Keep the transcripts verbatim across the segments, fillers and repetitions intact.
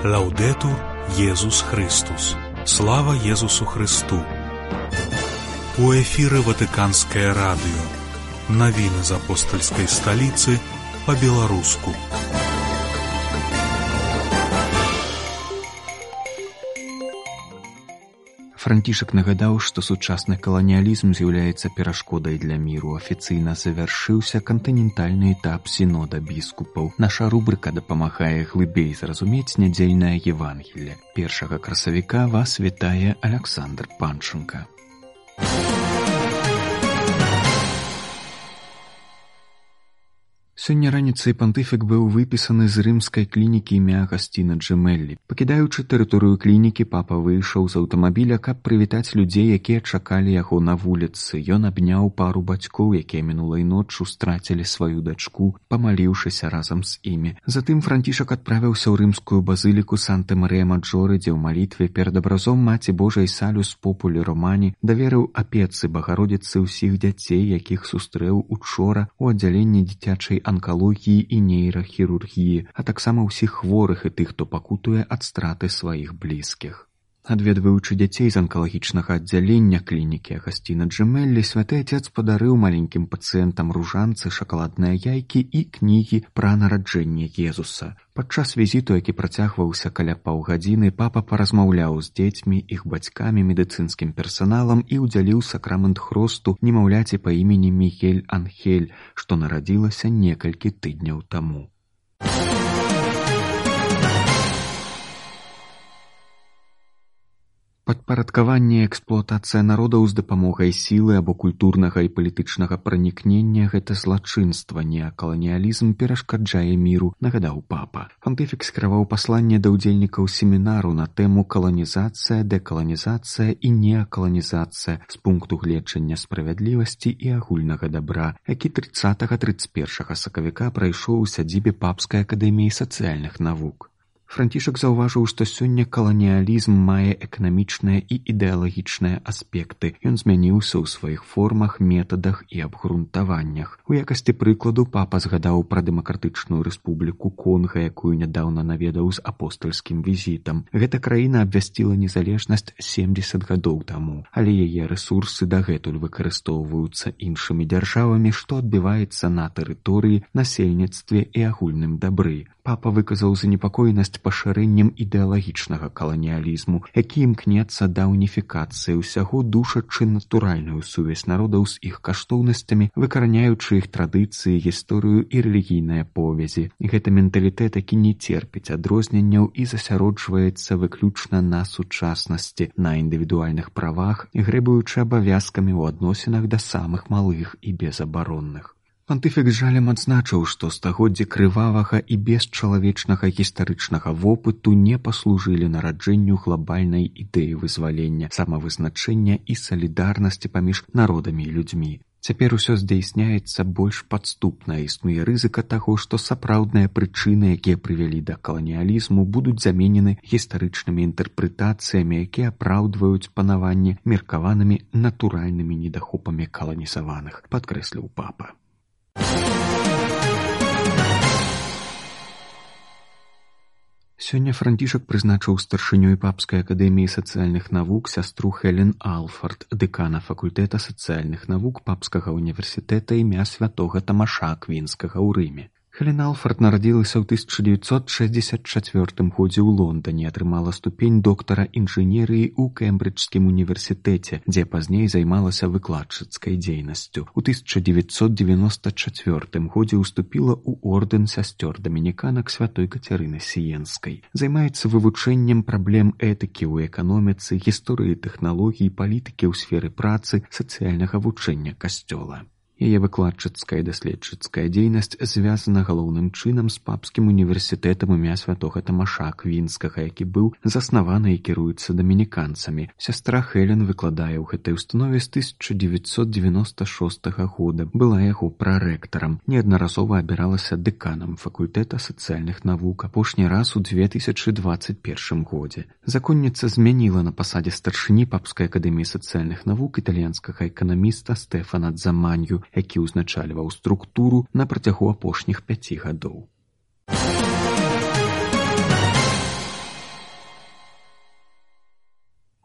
Лаўдэтур Езус Христус. Слава Езусу Христу. У эфіры Ватыканскае радыё. Навіны з апостальскай сталіцы па-беларуску. Францішак нагадаў, што сучасны каланіялізм з'яўляецца перашкодай для міру. Афіцыйна завяршыўся кантынентальны этап сінода біскупаў. Наша рубрыка дапамагае глыбей зразумець нядзельнае Евангелле. Першага красавіка вас вітае Аляксандр Панченка. Сёння раніцай пантыфік быў выпісаны з рымскай клінікі імя Агасціна Джемеллі. Пакідаючы тэрыторыю клінікі, папа выйшаў з аўтамабіля, каб прывітаць людзей, якія чакалі яго на вуліцы. Ён абняў пару бацькоў, якія мінулай ноччу страцілі сваю дачку, памаліўшыся разам з імі. Затым Францішак адправіўся ў рымскую базыліку Санта-Марыя-Маджоры, дзе ў малітве перад абразом Маці Божай Салюс Популі Романі даверыў апецы Багародзіцы ўсіх дзяцей, якіх сустрэў учора ў аддзяленні дзіцячай анкалогіі і нейрахірургіі, а таксама ўсіх хворых і тых, хто пакутуе ад страты сваіх блізкіх. Адведваючы дзяцей з анкалагічнага аддзялення клінікі Агасціна Джемеллі, святы Отец падарыў маленькім пацыентам ружанцы, шакаладныя яйкі і кнігі пра нараджэнне Езуса. Падчас візіту, які працягваўся каля паўгадзіны, папа паразмаўляў з дзецьмі, іх бацькамі, медыцынскім персаналам і ўдзяліў сакрамент хросту немаўляці па імені Мігель Анхель, што нарадзілася некалькі тыдняў таму. Падпарадкаванне і эксплуатацыя народаў з дапамогай сілы або культурнага і палітычнага пранікнення – гэта злачынства, неакаланіялізм перашкаджае міру, нагадаў папа. Пантыфік скіраваў пасланне да ўдзельнікаў семінару на тэму каланізацыя, дэкаланізацыя і неакаланізацыя з пункту гледжання справядлівасці і агульнага дабра, які трыццатага трыццаць першага сакавіка прайшоў у сядзібе Папскай акадэміі сацыяльных навук. Францішак заўважыў, што сёння каланіялізм мае эканамічныя і ідэалагічныя аспекты. Ён змяніўся ў сваіх формах, метадах і абгрунтаваннях. У якасці прыкладу папа згадаў пра дэмакратычную рэспубліку Конга, якую нядаўна наведаў з апостальскім візітам. Гэта краіна абвясціла незалежнасць семдзесят гадоў таму, але яе рэсурсы дагэтуль выкарыстоўваюцца іншымі дзяржавамі, што адбіваецца на тэрыторыі, насельніцтве і агульным дабры. Папа выказаў занепакоенасць пашырэннем ідэалагічнага каланіялізму, які імкнецца да уніфікацыі ўсяго, душачы натуральную сувязь народаў з іх каштоўнасцямі, выкараняючы іх традыцыі, гісторыю і рэлігійныя повязі. Гэта менталітэт, які не церпіць адрозненняў і засяроджваецца выключна на сучаснасці, на індывідуальных правах, грэбуючы абавязкамі ў адносінах да самых малых і безабаронных. Пантыфік з жалем адзначыў, што стагоддзі крывавага і бесчалавечнага гістарычнага вопыту не паслужылі нараджэнню глабальнай ідэі вызвалення, самавызначэння і салідарнасці паміж народамі і людзьмі. Цяпер усё здзяйсняецца больш падступна, існуе рызыка таго, што сапраўдныя прычыны, якія прывялі да каланіялізму, будуць заменены гістарычнымі інтэрпрэтацыямі, якія апраўдваюць панаванне меркаванымі натуральнымі недахопамі каланізаваных, падкрэсліў папа. Сёння Францішак прызначыў старшынёй Папскай акадэміі сацыяльных навук сястру Хелен Алфард, дэкана факультэта сацыяльных навук Папскага універсітэта імя святога Тамаша Аквінскага ў Рыме. Хелен Алфард нарадзілася ў тысяча дзевяцьсот шэсцьдзесят чацвёртым годзе ў Лондане, атрымала ступень доктара інжынерыі ў Кембриджскім універсітэце, дзе пазней займалася выкладчыцкай дзейнасцю. У тысяча дзевяцьсот девяносто чацвёртым годзе ўступіла ў ордэн сясцёр дамініканак святой Кацярыны Сіенскай. Займаецца вывучэннем праблем этыкі ў эканоміцы, гісторыі тэхналогій, палітыкі ў сферы працы, сацыяльнага вучэння касцёла. Яе выкладчыцкая і даследчыцкая дзейнасць звязана галоўным чынам з Папскім універсітэтам імя святога Тамаша Аквінскага, які быў заснаваны і кіруецца дамініканцамі. Сястра Хелен выкладае ў гэтай установе з тысяча дзевяцьсот девяносто шостага года, была яго прарэктарам, неаднаразова абіралася дэканам факультэта сацыяльных навук, апошні раз у две тысячы дваццаць першым годзе. Законніца змяніла на пасадзе старшыні Папскай акадэміі сацыяльных навук італьянскага эканаміста Стэфана Дзаманью, які ўзначальваў структуру на працягу апошніх пяці гадоў.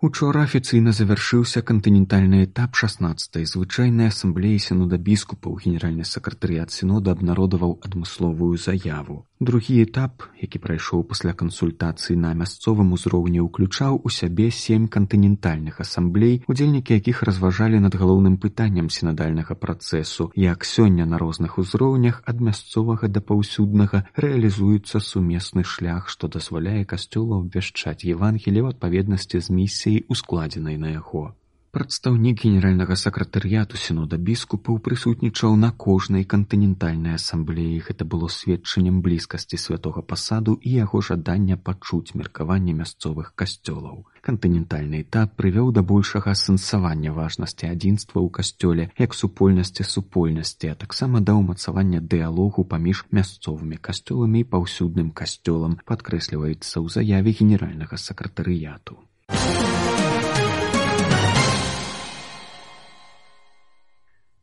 Учора афіцыйна завяршыўся кантынентальны этап шаснаццатай звычайнай асамблеі сінода біскупаў. Генеральны сакратарыят сінода абнародаваў адмысловую заяву. Другі этап, які прайшоў пасля кансультацый на мясцовым узроўні, уключаў у сябе сем кантынентальных асамблей, удзельнікі якіх разважалі над галоўным пытаннем сінадальнага працэсу, як сёння на розных узроўнях ад мясцовага да паўсюднага рэалізуецца сумесны шлях, што дазваляе касцёлу абвяшчаць Евангеліе ў адпаведнасці з місіяй, ускладзенай на яго. Прадстаўнік генеральнага сакратарыяту сінода біскупаў прысутнічаў на кожнай кантынентальнай асамблеі. Гэта было сведчаннем блізкасці святога пасаду і яго жадання пачуць меркаванне мясцовых касцёлаў. Кантынентальны этап прывёў да большага асэнсавання важнасці адзінства ў касцёле як супольнасці супольнасці, а таксама да ўмацавання дыялогу паміж мясцовымі касцёламі і паўсюдным касцёлам, падкрэсліваецца ў заяве генеральнага сакратарыяту.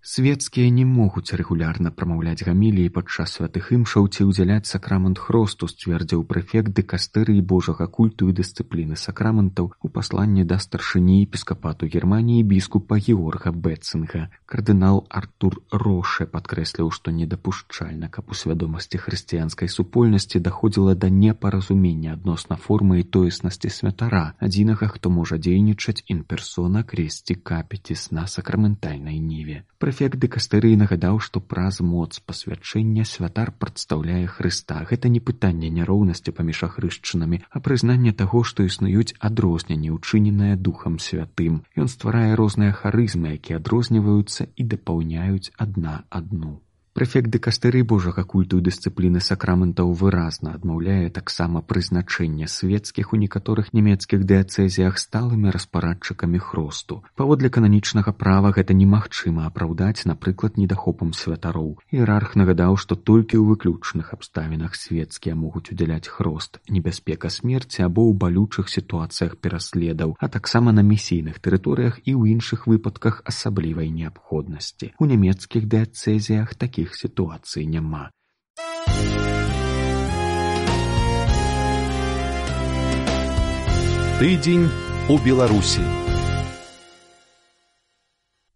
Свецкія не могуць рэгулярна прамаўляць гаміліі падчас святых імшаў ці ўдзяляць сакрамент хросту, сцвердзіў прэфект дыкастэрыі Божага культу і дысцыпліны сакраментаў у пасланні да старшыні епіскапату Германіі біскупа Георга Бетцинга. Кардынал Артур Роше падкрэсліў, што недапушчальна, каб у свядомасці хрысціянскай супольнасці даходзіла да непаразумення адносна формы і тоеснасці святара, адзінага, хто можа дзейнічаць ін-персона кресці капітіс на сакраментальнай ніве. Прэфект дыкастэрыі нагадаў, што праз моц пасвячэння святар прадстаўляе Хрыста. Гэта не пытанне няроўнасці паміж ахрышчанамі, а прызнанне таго, што існуюць адрозненні, учыненыя Духам Святым. Ён стварае розныя харызмы, якія адрозніваюцца і дапаўняюць адна адну. Прэфект дыкастэрыі Божага культу і дысцыпліны сакраментаў выразна адмаўляе таксама прызначэнне свецкіх у некаторых нямецкіх дыяцэзіях сталымі распарадчыкамі хросту. Паводле кананічнага права гэта немагчыма апраўдаць, напрыклад, недахопам святароў. Іерарх нагадаў, што толькі ў выключных абставінах свецкія могуць удзяляць хрост, небяспека смерці або ў балючых сітуацыях пераследаў, а таксама на місійных тэрыторыях і ў іншых выпадках асаблівай неабходнасці. У нямецкіх дыяцэзіях такіх сітуацый няма. Тыдзень у Беларусі.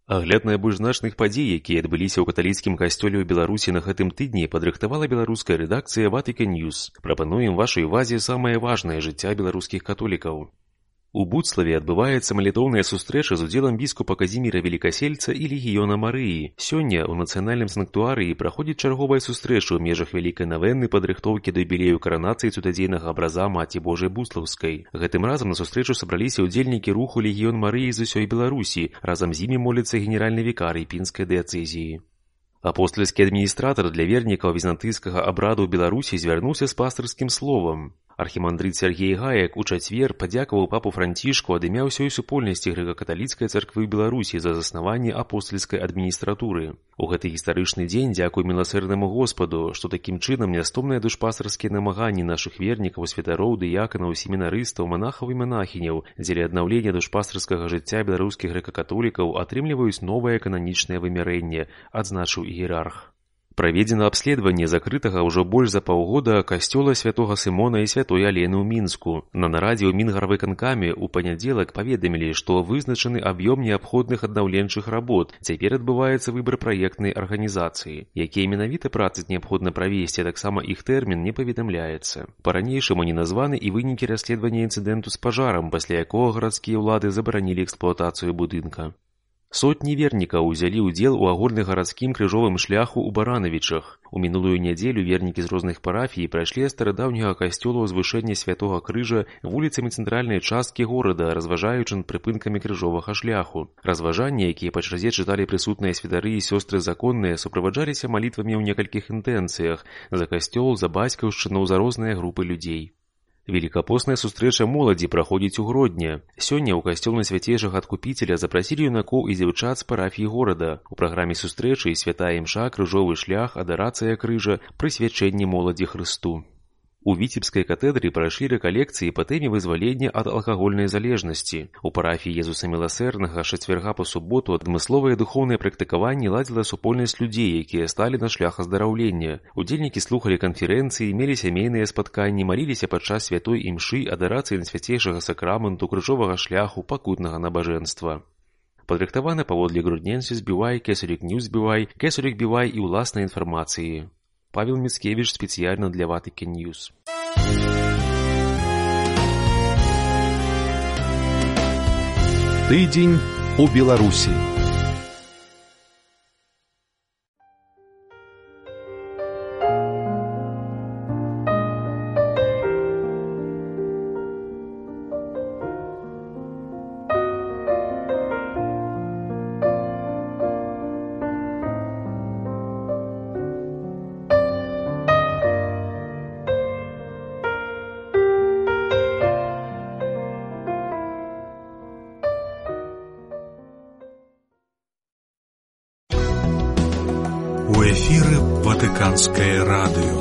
Агляд найбольш значных падзей, якія адбыліся ў каталіцкім касцёле ў Беларусі на гэтым тыдні, падрыхтавала беларуская рэдакцыя Vatican News. Прапануем вашай увазе самае важнае жыцця беларускіх католікаў. У Буцлаве адбываецца малітоўная сустрэча з удзелам біскупа Казіміра Велікасельца і легіёна Марыі. Сёння ў нацыянальным санктуарыі праходзіць чарговая сустрэча ў межах вялікай навенны падрыхтоўкі да юбілею каранацыі цудадзейнага абраза Маці Божай Буслаўскай. Гэтым разам на сустрэчу сабраліся ўдзельнікі руху легіён Марыі з усёй Беларусі. Разам з імі моліцца генеральны вікарый пінскай дыяцэзіі. Апостальскі адміністратар для вернікаў візантыйскага абраду ў Беларусі звярнуўся з пастырскім словам. Архімандрыт Сергей Гаек у чацвер падзякаваў папу Францішку ад імя ўсёй супольнасці грэка-каталіцкай царквы Беларусі за заснаванне апостальскай адміністратуры. У гэты гістарычны дзень дзякуй міласэрнаму Господу, што такім чынам нястомныя душпастарскія намаганні нашых вернікаў, святароў, дыяканаў, семінарыстаў, манахаў і манахіняў дзеля аднаўлення душпастарскага жыцця беларускіх грэка-католікаў атрымліваюць новае кананічнае вымярэнне, адзначыў іерарх. Праведзена абследаванне закрытага ўжо больш за паўгода касцёла святога Сымона і святой Алены ў Мінску. На нарадзе ў Мінгарвыканкаме ў панядзелак паведамілі, што вызначаны аб'ём неабходных аднаўленчых работ. Цяпер адбываецца выбар праектнай арганізацыі. Якія менавіта працы неабходна правесці, таксама іх тэрмін не паведамляецца. Па-ранейшаму не названы і вынікі расследавання інцыдэнту з пажарам, пасля якога гарадскія ўлады забаранілі эксплуатацыю будынка. Сотні вернікаў узялі ўдзел у агульнагарадскім крыжовым шляху ў Баранавічах. У мінулую нядзелю вернікі з розных парафій прайшлі ад старадаўняга касцёла ўзвышэння святога крыжа вуліцамі цэнтральнай часткі горада, разважаючы над прыпынкамі крыжовага шляху. Разважанні, якія па чарзе чыталі прысутныя святары і сёстры законныя, суправаджаліся малітвамі ў некалькіх інтэнцыях за касцёл, за бацькаўшчыну, за розныя групы людзей. Велікапостная сустрэча моладзі праходзіць у Гродні. Сёння ў касцёл Найсвяцейшага Адкупіцеля запрасілі юнакоў і дзяўчат з парафій горада. У праграме сустрэчы святая імша, крыжовы шлях, адарацыя крыжа, прысвячэнне моладзі Хрысту. У Віцебскай катедры прайшлі рэкалекцыі па тэме вызвалення ад алкагольнай залежнасці. У парафіі Езуса Міласэрнага чацвярга па суботу адмысловае духоўнае практыкаванне ладзіла супольнасць людзей, якія сталі на шлях аздараўлення. Удзельнікі слухалі канферэнцыі, мелі сямейныя спатканні, маліліся падчас святой імшы, адарацыі Найсвяцейшага сакраменту, крыжовага шляху, пакутнага набажэнства. Падрыхтаваны паводле грудненсіс бівай, Кесарік Ньюс бівай, Кесарік бівай і ўласнай інфармацыі. Павел Міцкевіч спецыяльна для Ватыкен Ньюс. Тыдзень у Беларусі. У эфіры Ватыканскае радыё.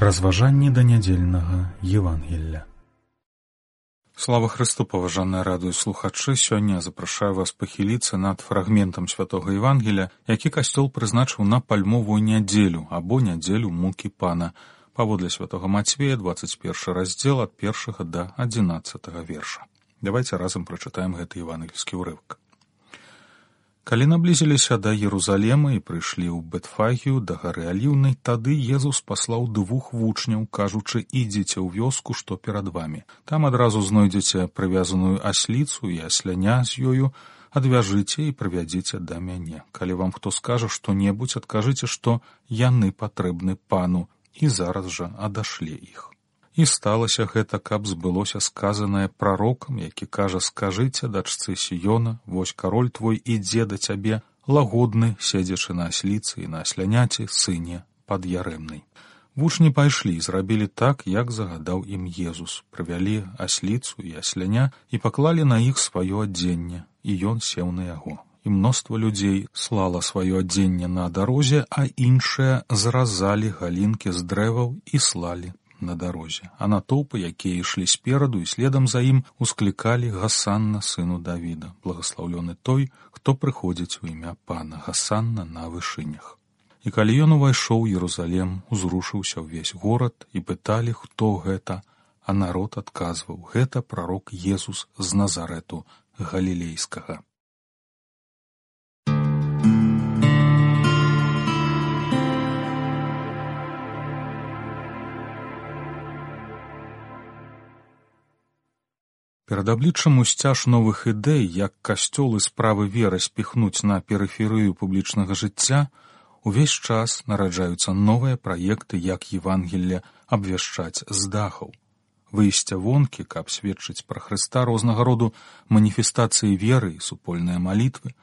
Разважанні да нядзельнага Евангелля. Слава Христу, паважаныя радыёслухачы! Сёння запрашаю вас пахіліцца над фрагментам святога Евангелля, які касцёл прызначыў на пальмовую нядзелю або нядзелю мукі Пана, паводле святога Мацвея, двадцать першы раздзел ад першага да адзінаццатага верша. Давайте разам прачытаем гэты евангельскі ўрывак. Калі наблізіліся да Єрусалема і прыйшлі ў Бетфагію да гары Аліўнай, тады Езус паслаў двух вучняў, кажучы: «Ідзіце ў вёску, што перад вамі. Там адразу знойдзеце прывязаную асліцу і асляня з ёю, адвяжыце і прывядзіце да мяне. Калі вам хто скажа што-небудзь, адкажыце, што яны патрэбны Пану, і зараз жа адашле іх». І сталася гэта, каб збылося сказанае прарокам, які кажа: «Скажыце дачцы Сіёна, вось кароль твой ідзе да цябе, лагодны, седзячы на асліцы і на асляняці, сыне пад'ярэмнай». Вучні пайшлі і зрабілі так, як загадаў ім Езус. Прывялі асліцу і асляня і паклалі на іх сваё адзенне, і ён сеў на яго. І мноства людзей слала сваё адзенне на дарозе, а іншыя зразалі галінкі з дрэваў і слалі на дарозе. А натоўпы, якія ішлі спераду і следам за ім, усклікалі: «Гасанна сыну Давіда, благаслаўлёны той, хто прыходзіць у імя Пана, гасанна на вышынях». І калі ён увайшоў у Єрусалем, узрушыўся ўвесь горад, і пыталі, хто гэта, а народ адказваў: «Гэта прарок Езус з Назарэту галілейскага». Перад абліччам усцяж новых ідэй, як касцёл і справы веры спіхнуць на перыферыю публічнага жыцця, увесь час нараджаюцца новыя праекты, як Евангелле абвяшчаць з дахаў. Выйсця вонкі, каб сведчыць пра Хрыста, рознага роду маніфестацыі веры і супольныя малітвы,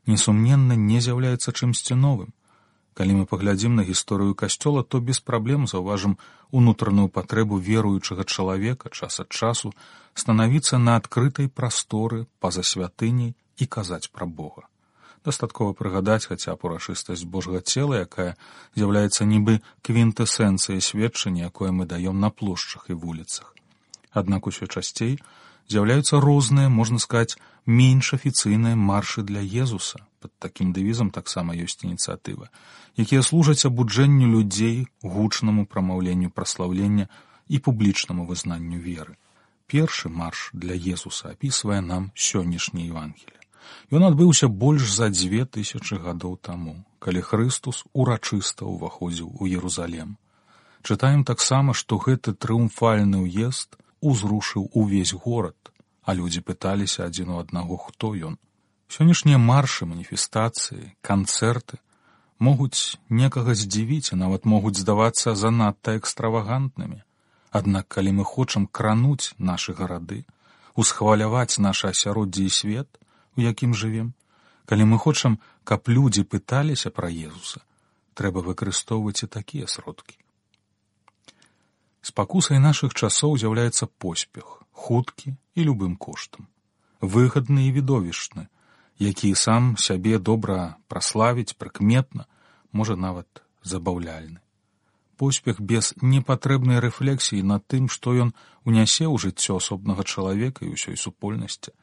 несумненна не з'яўляецца чымсьці новым. Калі мы паглядзім на гісторыю касцёла, то без праблем заўважым унутраную патрэбу веруючага чалавека час ад часу станавіцца на адкрытай прасторы па-за святыняй і казаць пра Бога. Дастаткова прыгадаць хаця б урачыстасць Божага цела, якая з'яўляецца нібы квінтэсэнцыяй сведчання, якое мы даём на плошчах і вуліцах. Аднак усё часцей з'яўляюцца розныя, можна сказаць, менш афіцыйныя маршы для Езуса. Пад такім дэвізам таксама ёсць ініцыятыва, якія служаць абуджэнню людзей, гучнаму прамаўленню праслаўлення і публічнаму вызнанню веры. Першы марш для Езуса апісвае нам сённяшні Евангелле. Ён адбыўся больш за дзве тысячы гадоў таму, калі Хрыстус урачыста ўваходзіў у Єрусалем. Чытаем таксама, што гэты трыумфальны ўезд узрушыў увесь горад, а людзі пыталіся адзін у аднаго, хто ён. Сённяшнія маршы, маніфестацыі, канцэрты могуць некага здзівіць і нават могуць здавацца занадта экстравагантнымі. Аднак, калі мы хочам крануць нашы гарады, усхваляваць наша асяроддзе і свет, у якім жывем, калі мы хочам, каб людзі пыталіся пра Езуса, трэба выкарыстоўваць і такія сродкі. Спакусай нашых часоў з'яўляецца поспех, хуткі і любым коштам, выгадны і відовішчны, які сам сябе добра праславіць прыкметна, можа нават забаўляльны. Поспех без непатрэбнай рэфлексіі над тым, што ён унясе ў жыццё асобнага чалавека і ўсёй супольнасці.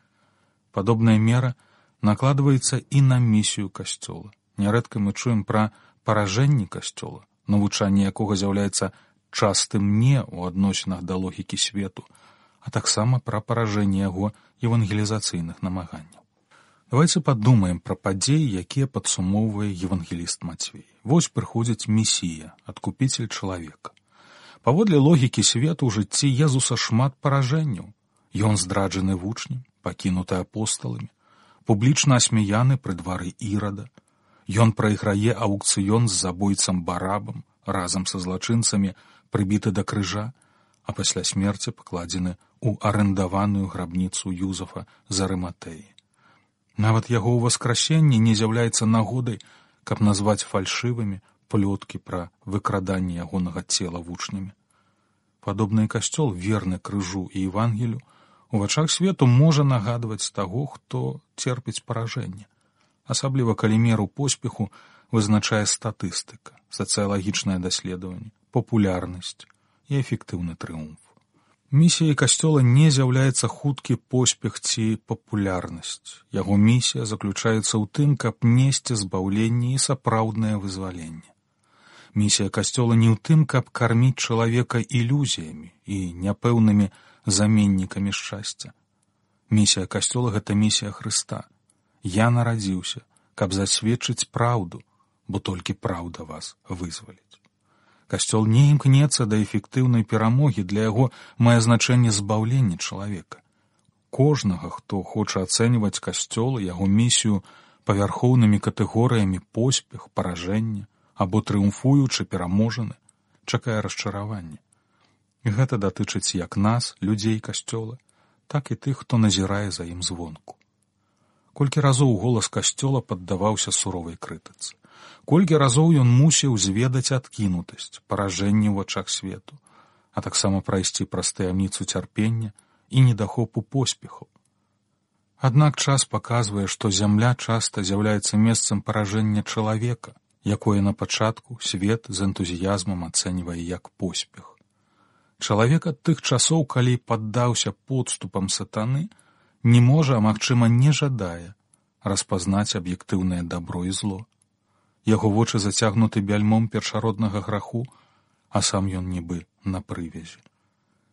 Падобная мера накладваецца і на місію касцёла. Нярэдка мы чуем пра паражэнні касцёла, навучанне якога з'яўляецца частым не ў адносінах да логікі свету, а таксама пра паражэнне яго евангелізацыйных намаганняў. Давайте падумаем пра падзеі, якія падсумоўвае евангеліст Мацвей. Вось прыходзіць Месія, адкупіцель чалавека. Паводле логікі свету ў жыцці Езуса шмат паражэнняў. Ён здраджаны вучнем, пакінуты апосталамі, публічна асмяяны пры двары Ірада. Ён прайграе аўкцыён з забойцам Барабам, разам са злачынцамі прыбіты да крыжа, а пасля смерці пакладзены ў арэндаваную грабніцу Юзафа з Арыматэі. Нават яго ўваскрасенне не з'яўляецца нагодай, каб назваць фальшывымі плёткі пра выкраданне ягонага цела вучнямі. Падобны касцёл, верны крыжу і Евангелію, у вачах свету можа нагадваць таго, хто церпіць паражэнне, асабліва калі меру поспеху вызначае статыстыка, сацыялагічнае даследаванне, папулярнасць і эфектыўны трыумф. Місіяй касцёла не з'яўляецца хуткі поспех ці папулярнасць. Яго місія заключаецца ў тым, каб несці збаўленне і сапраўднае вызваленне. Місія касцёла не ў тым, каб карміць чалавека ілюзіямі і няпэўнымі заменнікамі шчасця. Місія касцёла — гэта місія Хрыста. Я нарадзіўся, каб засведчыць праўду, бо толькі праўда вас вызваліць. Касцёл не імкнецца да эфектыўнай перамогі, для яго мае значэнне збаўлення чалавека. Кожнага, хто хоча ацэньваць касцёл і яго місію павярхоўнымі катэгорыямі поспех, паражэння або трыумфуючы пераможаны, чакае расчараванне. Гэта датычыць як нас, людзей касцёла, так і тых, хто назірае за ім звонку. Колькі разоў голас касцёла паддаваўся суровай крытыцы. Колькі разоў ён мусіў зведаць адкінутасць, паражэнне ў вачах свету, а таксама прайсці праз таямніцу цярпення і недахопу поспеху. Аднак час паказвае, што зямля часта з'яўляецца месцам паражэння чалавека, якое на пачатку свет з энтузіязмам ацэньвае як поспех. Чалавек ад тых часоў, калі паддаўся подступам сатаны, не можа, а магчыма не жадае распазнаць аб'ектыўнае дабро і зло. Яго вочы зацягнуты бяльмом першароднага граху, а сам ён нібы на прывязі.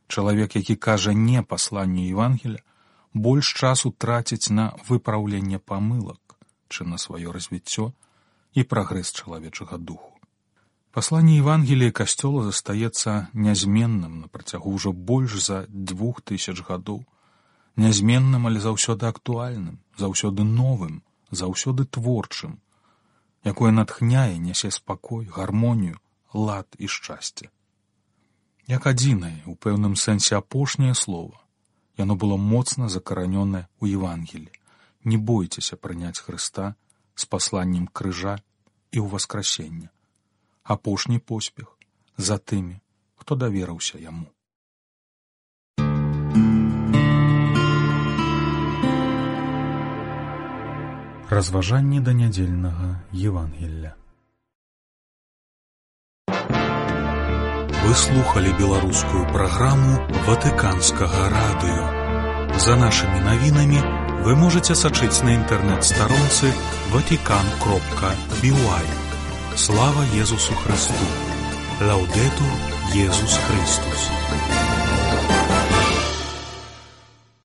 Чалавек, які кажа не пасланню Евангелія, больш часу траціць на выпраўленне памылак, чым на сваё развіццё і прагрэс чалавечага духу. Пасланне Евангелія касцёла застаецца нязменным на працягу ўжо больш за двух тысяч гадоў, нязменным, але заўсёды актуальным, заўсёды новым, заўсёды творчым, якое натхняе, нясе спакой, гармонію, лад і шчасце. Як адзінае, у пэўным сэнсе апошняе слова, яно было моцна закаранёнае ў Евангеліі. Не бойцеся прыняць Хрыста з пасланнем крыжа і ўваскрасення. Апошні поспех за тымі, хто даверыўся яму. Разважанні да нядзельнага Евангелля. Вы слухали беларускую праграму Ватыканскага радыё. За нашымі навінамі вы можаце сачыць на інтэрнэт-старонцы ватикан кропка би уай. Слава Езусу Христу! Лаудетур Езус Христус!